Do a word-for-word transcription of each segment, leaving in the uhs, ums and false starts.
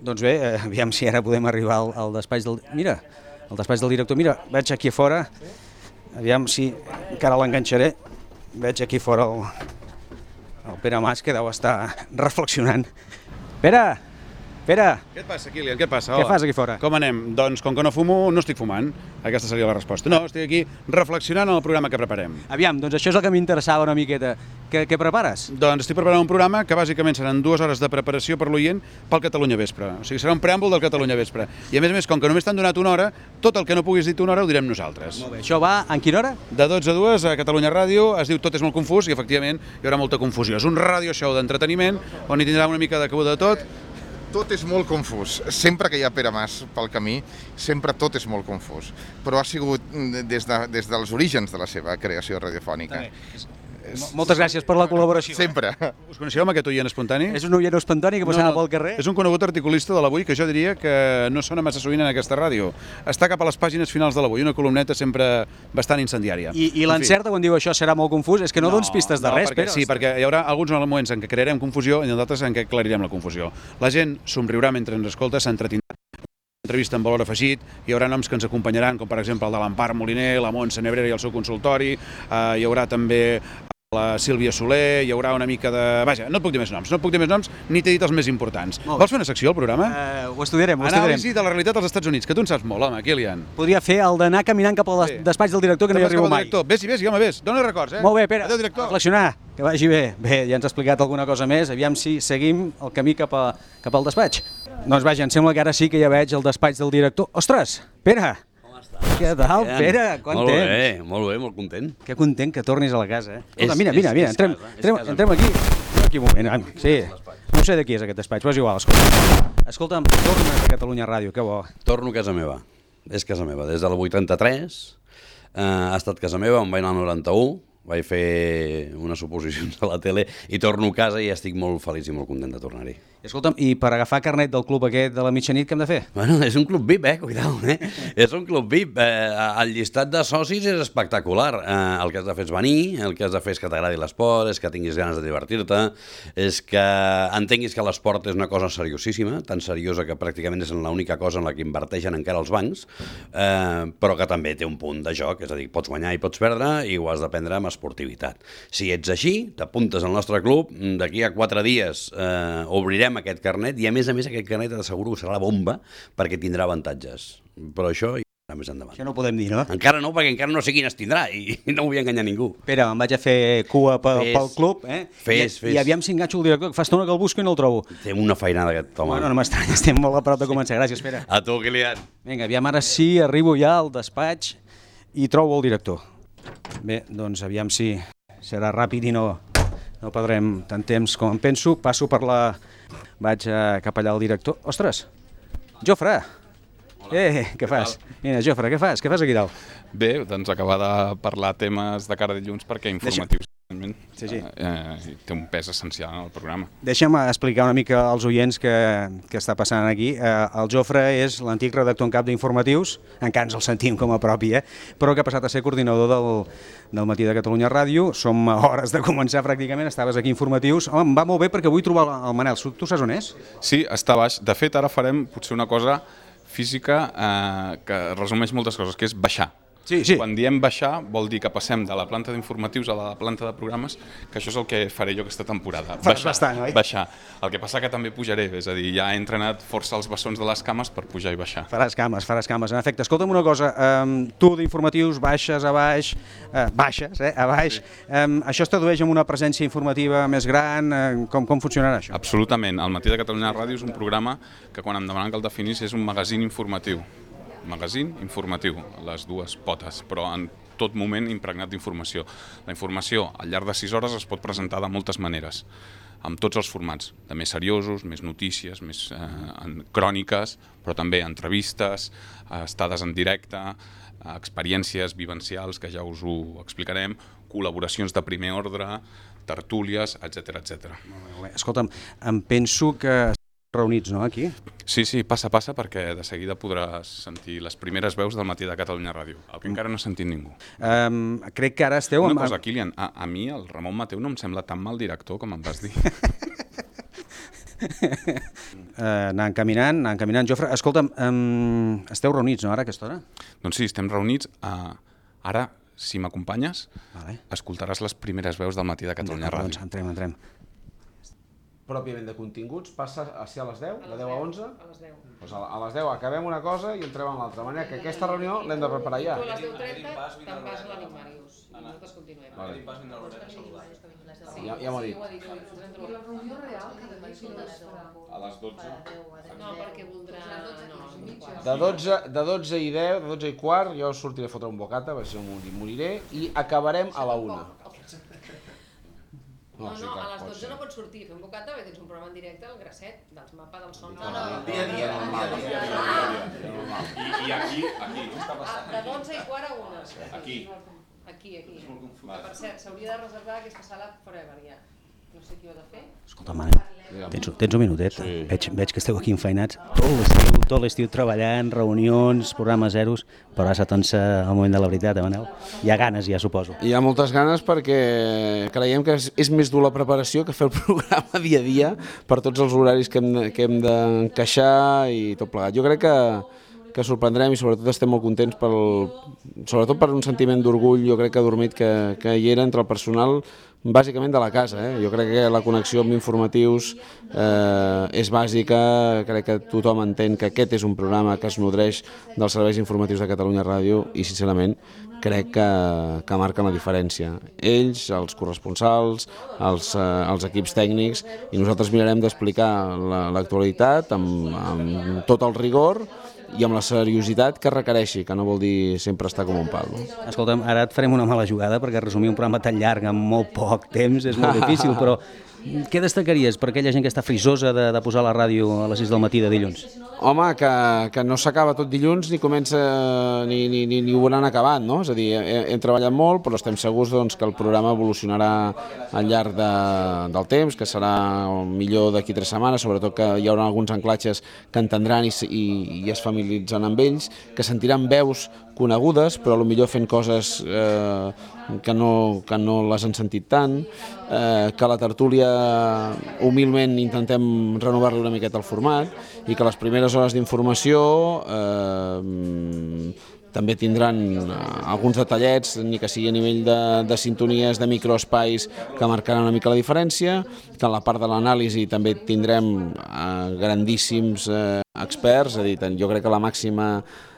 Doncs bé, eh, aviam si ara podem arribar al, al despatx del... Mira, al despatx del director. Mira, veig aquí a fora, aviam si encara l'enganxaré, veig aquí fora el, el Pere Mas, que deu estar reflexionant. Pere! Pere! Què et passa, Kilian? Què et passa? Què fas aquí fora? Com anem? Doncs com que no fumo, no estic fumant. Aquesta seria la resposta. No, estic aquí reflexionant en el programa que preparem. Aviam, doncs això és el que m'interessava una miqueta. Què, què prepares? Doncs estic preparant un programa que bàsicament seran dues hores de preparació per l'oient pel Catalunya Vespre. O sigui, serà un preàmbul del Catalunya Vespre. I a més a més, com que només t'han donat una hora, tot el que no puguis dir una hora ho direm nosaltres. Molt bé. Això va en quina hora? De dotze a dues a Catalunya Ràdio, es diu Tot és molt confús i efectivament hi haurà molta confusió. És un radio show d'entreteniment on hi tindrà una mica de cabuda de tot. Tot és molt confús. Sempre que hi ha Pere Mas pel camí, sempre tot és molt confús. Però ha sigut des, de, des dels orígens de la seva creació radiofònica. Moltes gràcies per la col·laboració. Sempre. Us coneixeu amb aquest oient espontani? És un oient espontani que passava No, no, pel carrer? És un conegut articulista de l'Avui que jo diria que no sona massa sovint en aquesta ràdio. Està cap a les pàgines finals de l'Avui, una columneta sempre bastant incendiària. I, i l'encerta quan diu això serà molt confús? És que no, no dones pistes de no, res, perquè, Pere. Sí, perquè hi haurà alguns moments en què crearem confusió i en d'altres en què aclarirem la confusió. La gent somriurà mentre ens escolta, s'entretindrà. Entrevista amb valor afegit, hi haurà noms que ens acompanyaran, com per exemple el de l'Empar Moliner, la Montse Nebrera i el seu consultori, eh, hi haurà també la Sílvia Soler, hi haurà una mica de... Vaja, no et puc dir més noms, no et puc dir més noms, ni t'he dit els més importants. Vols fer una secció al programa? Uh, ho estudiarem, ho estudiarem. Anàlisi de la realitat als Estats Units, que tu en saps molt, home, Kilian. Podria fer el d'anar caminant cap al Sí. despatx del director, que no hi arribo mai. Vés-hi, vés-hi, home, vés. Dóna records, eh? Molt bé, Pere. Adéu, director. Reflexionar, que vagi bé. Bé, ja ens ha explicat alguna cosa més, aviam si seguim el camí cap, a, cap al despatx. Doncs vaja, em sembla que ara sí que ja veig el despatx del director. Ostres, Pere! Què tal, Pere? Quant molt temps? bé, molt bé, molt content. Que content que tornis a la casa, eh? Escolta, És- mira, mira, és- mira, és entrem, casa, és entrem, casa entrem aquí. Entrem aquí un moment, ah, sí. No sé de qui és aquest despatx, però és igual, escolta. Escolta'm, tornes a Catalunya Ràdio, que bo. Torno a casa meva, és casa meva. Des del vuitanta-tres eh, ha estat casa meva, em vaig anar al noranta-u, vaig fer unes suposicions a la tele i torno a casa i estic molt feliç i molt content de tornar-hi. Escolta'm, i per agafar carnet del club aquest de la mitjanit, què hem de fer? Bueno, és un club V I P, eh? Cuidao, eh? És un club V I P. Eh, el llistat de socis és espectacular. Eh, el que has de fer és venir, el que has de fer és que t'agradi l'esport, és que tinguis ganes de divertir-te, és que entenguis que l'esport és una cosa seriosíssima, tan seriosa que pràcticament és l'única cosa en la que inverteixen encara els bancs, eh, però que també té un punt de joc, és a dir, pots guanyar i pots perdre i ho has de prendre amb esportivitat. Si ets així, t'apuntes al nostre club, d'aquí a quatre dies eh, obrirem aquest carnet i a més a més aquest carnet t'asseguro que serà la bomba perquè tindrà avantatges. Però això hi ha més endavant. Això no ho podem dir, no? Encara no, perquè encara no sé quines tindrà i no vull enganyar ningú. Pere, em vaig a fer cua pel, Fes, pel club, eh? fes, I, fes. I aviam si enganxo el director, que fa estona que el busco i no el trobo. Té una feinada aquest home. Bueno, no m'estranya, estem molt a prop de començar. Gràcies, Pere. A tu, Kilian. Vinga, aviam, ara sí, arribo ja al despatx i trobo el director. Bé, doncs aviam si serà ràpid i no, no perdrem tant temps com em penso. Passo per la... Vaig eh, cap allà al director. Ostres, Jofre! Hola. Eh, què fas? Mira, Jofre, què fas? Què fas aquí dalt? Bé, doncs acabar de parlar temes de cara a dilluns perquè informatius Sí, sí. eh, té un pes essencial en el programa. Deixa'm explicar una mica als oients què, què està passant aquí. Eh, el Jofre és l'antic redactor en cap d'informatius, encara ens el sentim com a propi, eh? Però que ha passat a ser coordinador del, del Matí de Catalunya Ràdio. Som a hores de començar pràcticament, estaves aquí informatius. Home, em va molt bé perquè vull trobar el Manel. Tu saps on és? Sí, està baix. De fet, ara farem potser una cosa física eh, que resumeix moltes coses, que és baixar. Sí, sí. Quan diem baixar vol dir que passem de la planta d'informatius a la planta de programes, que això és el que faré jo aquesta temporada. Faràs Baixar, bastant, oi? baixar. El que passa que també pujaré, és a dir, ja he entrenat força els bessons de les cames per pujar i baixar. Faràs cames, faràs cames. En efecte, escolta'm una cosa, um, tu d'informatius baixes a baix, uh, baixes, eh, a baix, sí. um, això es tradueix en una presència informativa més gran, uh, com, com funcionarà això? Absolutament. El Matí de Catalunya Ràdio és un programa que quan em demanen que el definís és un magazín informatiu. Magazín informatiu, les dues potes, però en tot moment impregnat d'informació. La informació al llarg de sis hores es pot presentar de moltes maneres, amb tots els formats, de més seriosos, més notícies, més eh, en cròniques, però també entrevistes, eh, estades en directe, eh, experiències vivencials, que ja us ho explicarem, col·laboracions de primer ordre, tertúlies, etcètera, etcètera. Escolta'm, em penso que reunits, no, aquí? Sí, sí, passa, passa, perquè de seguida podràs sentir les primeres veus del Matí de Catalunya Ràdio, el que encara no ha sentit ningú. Um, crec que ara esteu... Una amb... cosa, Kilian, a, a mi el Ramon Mateu no em sembla tan mal director com em vas dir. anar encaminant, anar encaminant. Jofre, escolta'm, um, esteu reunits, no, ara, a aquesta hora? Doncs sí, estem reunits. Uh, ara, si m'acompanyes, vale. Escoltaràs les primeres veus del matí de Catalunya Ràdio. Doncs entrem, entrem. Pròpiament de continguts, passa a ser a les deu, de deu a onze? A les deu. Doncs a les deu acabem una cosa i entrem en l'altra. De manera que aquesta reunió l'hem de preparar ja. Tu a les deu trenta te'n vas a l'Amic Màrius i nosaltres continuem. Ja, ja m'ho ha dit. I la reunió real cada dia es farà? A les dotze. No, perquè voldrà... No, De dotze, de dotze i deu, de dotze i quart, jo sortiré a fotre un bocata, perquè si no moriré, i acabarem a la una. No, sí, no, clar, a les pot dotze ser. no pots sortir a fer un bocata perquè tens un programa en directe al Grasset, dels mapes del son. No, no, dia a dia, normal. I aquí, aquí. De dotze i quart a una. Aquí. Aquí, aquí. Per cert, s'hauria de reservar aquesta sala forever ja. No sé qui ho ha de fer. Escolta, Manel, tens, tens un minutet? Sí. Veig, veig que esteu aquí enfeinats. Tot l'estiu, tot l'estiu treballant, reunions, programes zeros, però ara s'atonsa el moment de la veritat, eh, Manel? Hi ha ganes, ja suposo. Hi ha moltes ganes perquè creiem que és, és més dur la preparació que fer el programa dia a dia per tots els horaris que hem, que hem d'encaixar i tot plegat. Jo crec que, que sorprendrem i sobretot estem molt contents pel, sobretot per un sentiment d'orgull, jo crec que adormit que, que hi era entre el personal bàsicament de la casa. Eh? Jo crec que la connexió amb informatius eh, és bàsica, crec que tothom entén que aquest és un programa que es nodreix dels serveis informatius de Catalunya Ràdio i sincerament crec que, que marquen la diferència. Ells, els corresponsals, els, eh, els equips tècnics i nosaltres mirarem d'explicar l'actualitat amb, amb tot el rigor i amb la seriositat que requereixi, que no vol dir sempre estar com un pal. No? Escolta'm, ara et farem una mala jugada perquè resumir un programa tan llarg en molt poc temps és molt difícil, però què destacaries per aquella gent que està frisosa de, de posar la ràdio a les sis del matí de dilluns? Home, que, que no s'acaba tot dilluns ni comença ni, ni, ni, ni ho hauran acabat, no? És a dir, hem, hem treballat molt, però estem segurs doncs, que el programa evolucionarà al llarg de, del temps, que serà millor d'aquí tres setmanes, sobretot que hi haurà alguns anclatges que entendran i, i, i es familiaritzen amb ells, que sentiran veus conegudes, però potser fent coses eh, que, no, que no les han sentit tant, eh, que la tertúlia humilment intentem renovar-li una miqueta el format i que les primeres hores d'informació eh, també tindran alguns detallets, ni que sigui a nivell de, de sintonies, de microespais que marcaran una mica la diferència, que en la part de l'anàlisi també tindrem eh, grandíssims eh, experts, és a dir, jo crec que la màxima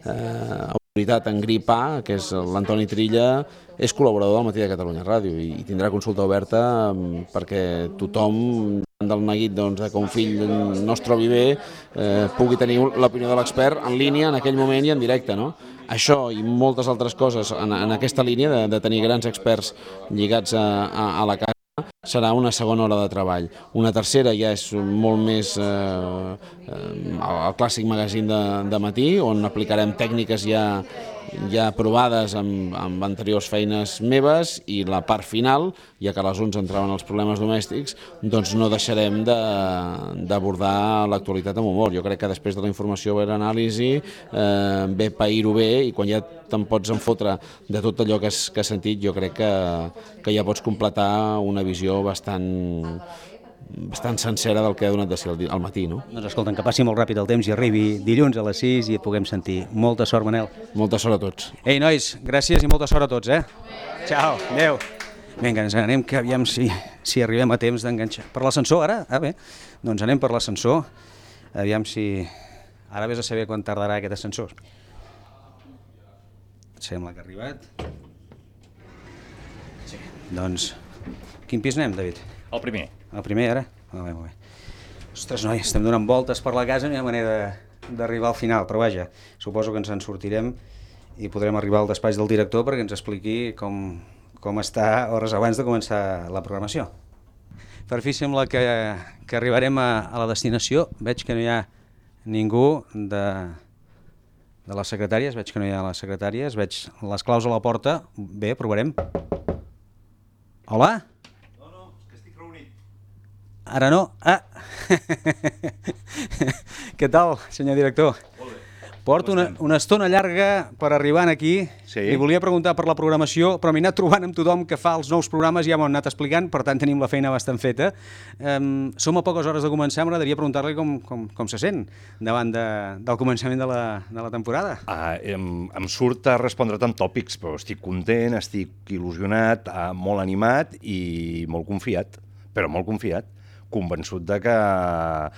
eh, autoritat en grip A, que és l'Antoni Trilla, és col·laborador del Matí de Catalunya Ràdio i, i tindrà consulta oberta perquè tothom, del neguit doncs, de que un fill no es trobi bé, eh, pugui tenir l'opinió de l'expert en línia en aquell moment i en directe. No? Això i moltes altres coses en, en aquesta línia de, de tenir grans experts lligats a, a, a la casa serà una segona hora de treball. Una tercera ja és molt més eh, el clàssic magazín de, de matí, on aplicarem tècniques ja, ja provades amb, amb anteriors feines meves, i la part final, ja que a les onze entraven els problemes domèstics, doncs no deixarem d'abordar l'actualitat amb humor. Jo crec que després de la informació ve l'anàlisi, eh, ve pair-ho bé, i quan ja te'n pots enfotre de tot allò que has, que has sentit, jo crec que, que ja pots completar una visió bastant bastant sencera del que ha donat de ser al matí, no? Doncs escolta'm, que passi molt ràpid el temps i arribi dilluns a les sis i et puguem sentir. Molta sort, Manel. Molta sort a tots. Ei, nois, gràcies i molta sort a tots, eh? Ciao, adeu. Vinga, ens anem, que aviam si, si arribem a temps d'enganxar. Per l'ascensor, ara? Ah, bé. Doncs anem per l'ascensor. Aviam si... Ara vés a saber quan tardarà aquest ascensor. Sembla que ha arribat. Sí. Doncs, quin pis anem, David? El primer. El primer, ara? Molt bé, molt bé. Ostres, noi, estem donant voltes per la casa, no hi ha manera d'arribar al final, però vaja, suposo que ens en sortirem i podrem arribar al despatx del director perquè ens expliqui com, com està hores abans de començar la programació. Per fi sembla que, que arribarem a, a la destinació. Veig que no hi ha ningú de, de les secretàries, veig que no hi ha les secretàries, veig les claus a la porta. Bé, provarem. Hola? Ara no. Ah! Què tal, senyor director? Molt bé. Porto una, una estona llarga per arribar aquí. Sí. Li volia preguntar per la programació, però m'he anat trobant amb tothom que fa els nous programes, ja m'ho han anat explicant, per tant tenim la feina bastant feta. Um, som a poques hores de començar, m'agradaria preguntar-li com, com, com se sent davant de, del començament de la, de la temporada. Ah, em, em surt a respondre't amb tòpics, però estic content, estic il·lusionat, ah, molt animat i molt confiat, però molt confiat, convençut de que ah,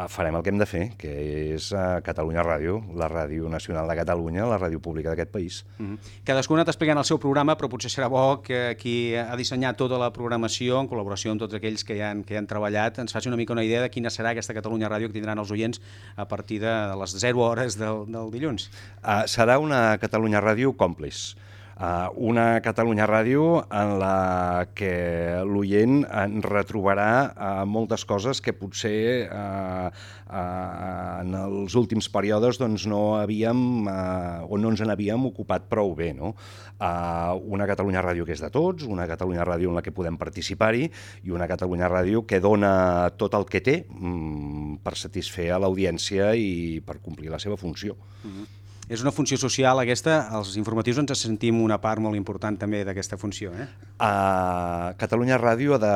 farem el que hem de fer, que és uh, Catalunya Ràdio, la ràdio nacional de Catalunya, la ràdio pública d'aquest país. Mm-hmm. Cadascú ha anat explicant el seu programa, però potser serà bo que qui ha dissenyat tota la programació, en col·laboració amb tots aquells que hi han, que hi han treballat, ens faci una mica una idea de quina serà aquesta Catalunya Ràdio que tindran els oients a partir de les zero hores del, del dilluns. Uh, serà una Catalunya Ràdio còmplice. Uh, una Catalunya Ràdio en la que l'oient en retrobarà uh, moltes coses que potser uh, uh, en els últims períodes doncs, no havíem uh, o no ens n'havíem ocupat prou bé. No? Uh, una Catalunya Ràdio que és de tots, una Catalunya Ràdio en la que podem participar-hi i una Catalunya Ràdio que dona tot el que té um, per satisfer a l'audiència i per complir la seva funció. Mm-hmm. És una funció social aquesta, els informatius ens sentim una part molt important també d'aquesta funció. Eh? Uh, Catalunya Ràdio ha de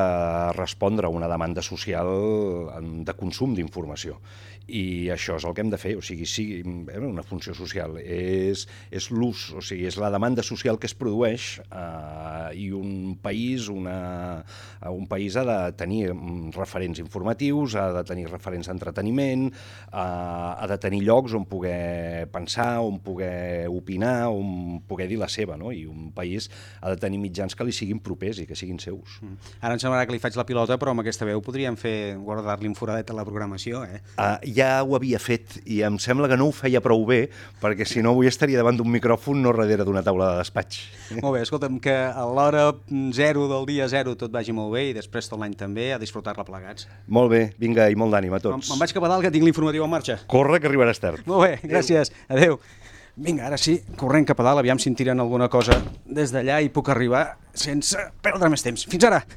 respondre a una demanda social de consum d'informació i això és el que hem de fer, o sigui, sigui una funció social, és, és l'ús, o sigui, és la demanda social que es produeix uh, i un país, una, un país ha de tenir referents informatius, ha de tenir referents d'entreteniment, uh, ha de tenir llocs on poder pensar, on poder opinar, on poder dir la seva, no? I un país ha de tenir mitjans que li siguin propers i que siguin seus. Mm. Ara em semblarà que li faig la pilota, però amb aquesta veu podríem fer guardar-li un foradet a la programació, eh? Uh, ja ho havia fet i em sembla que no ho feia prou bé, perquè si no avui estaria davant d'un micròfon no darrere d'una taula de despatx. Molt bé, escolta'm, que a l'hora zero del dia zero tot vagi molt bé i després tot l'any també, a disfrutar-la plegats. Molt bé, vinga, i molt d'ànim a tots. Me'n vaig cap a dalt, que tinc l'informatiu en marxa. Corre, que arribaràs tard. Molt bé, gràcies. Adéu. Vinga, ara sí, corrent cap a dalt, aviam si em tiren alguna cosa des d'allà i puc arribar sense perdre més temps. Fins ara!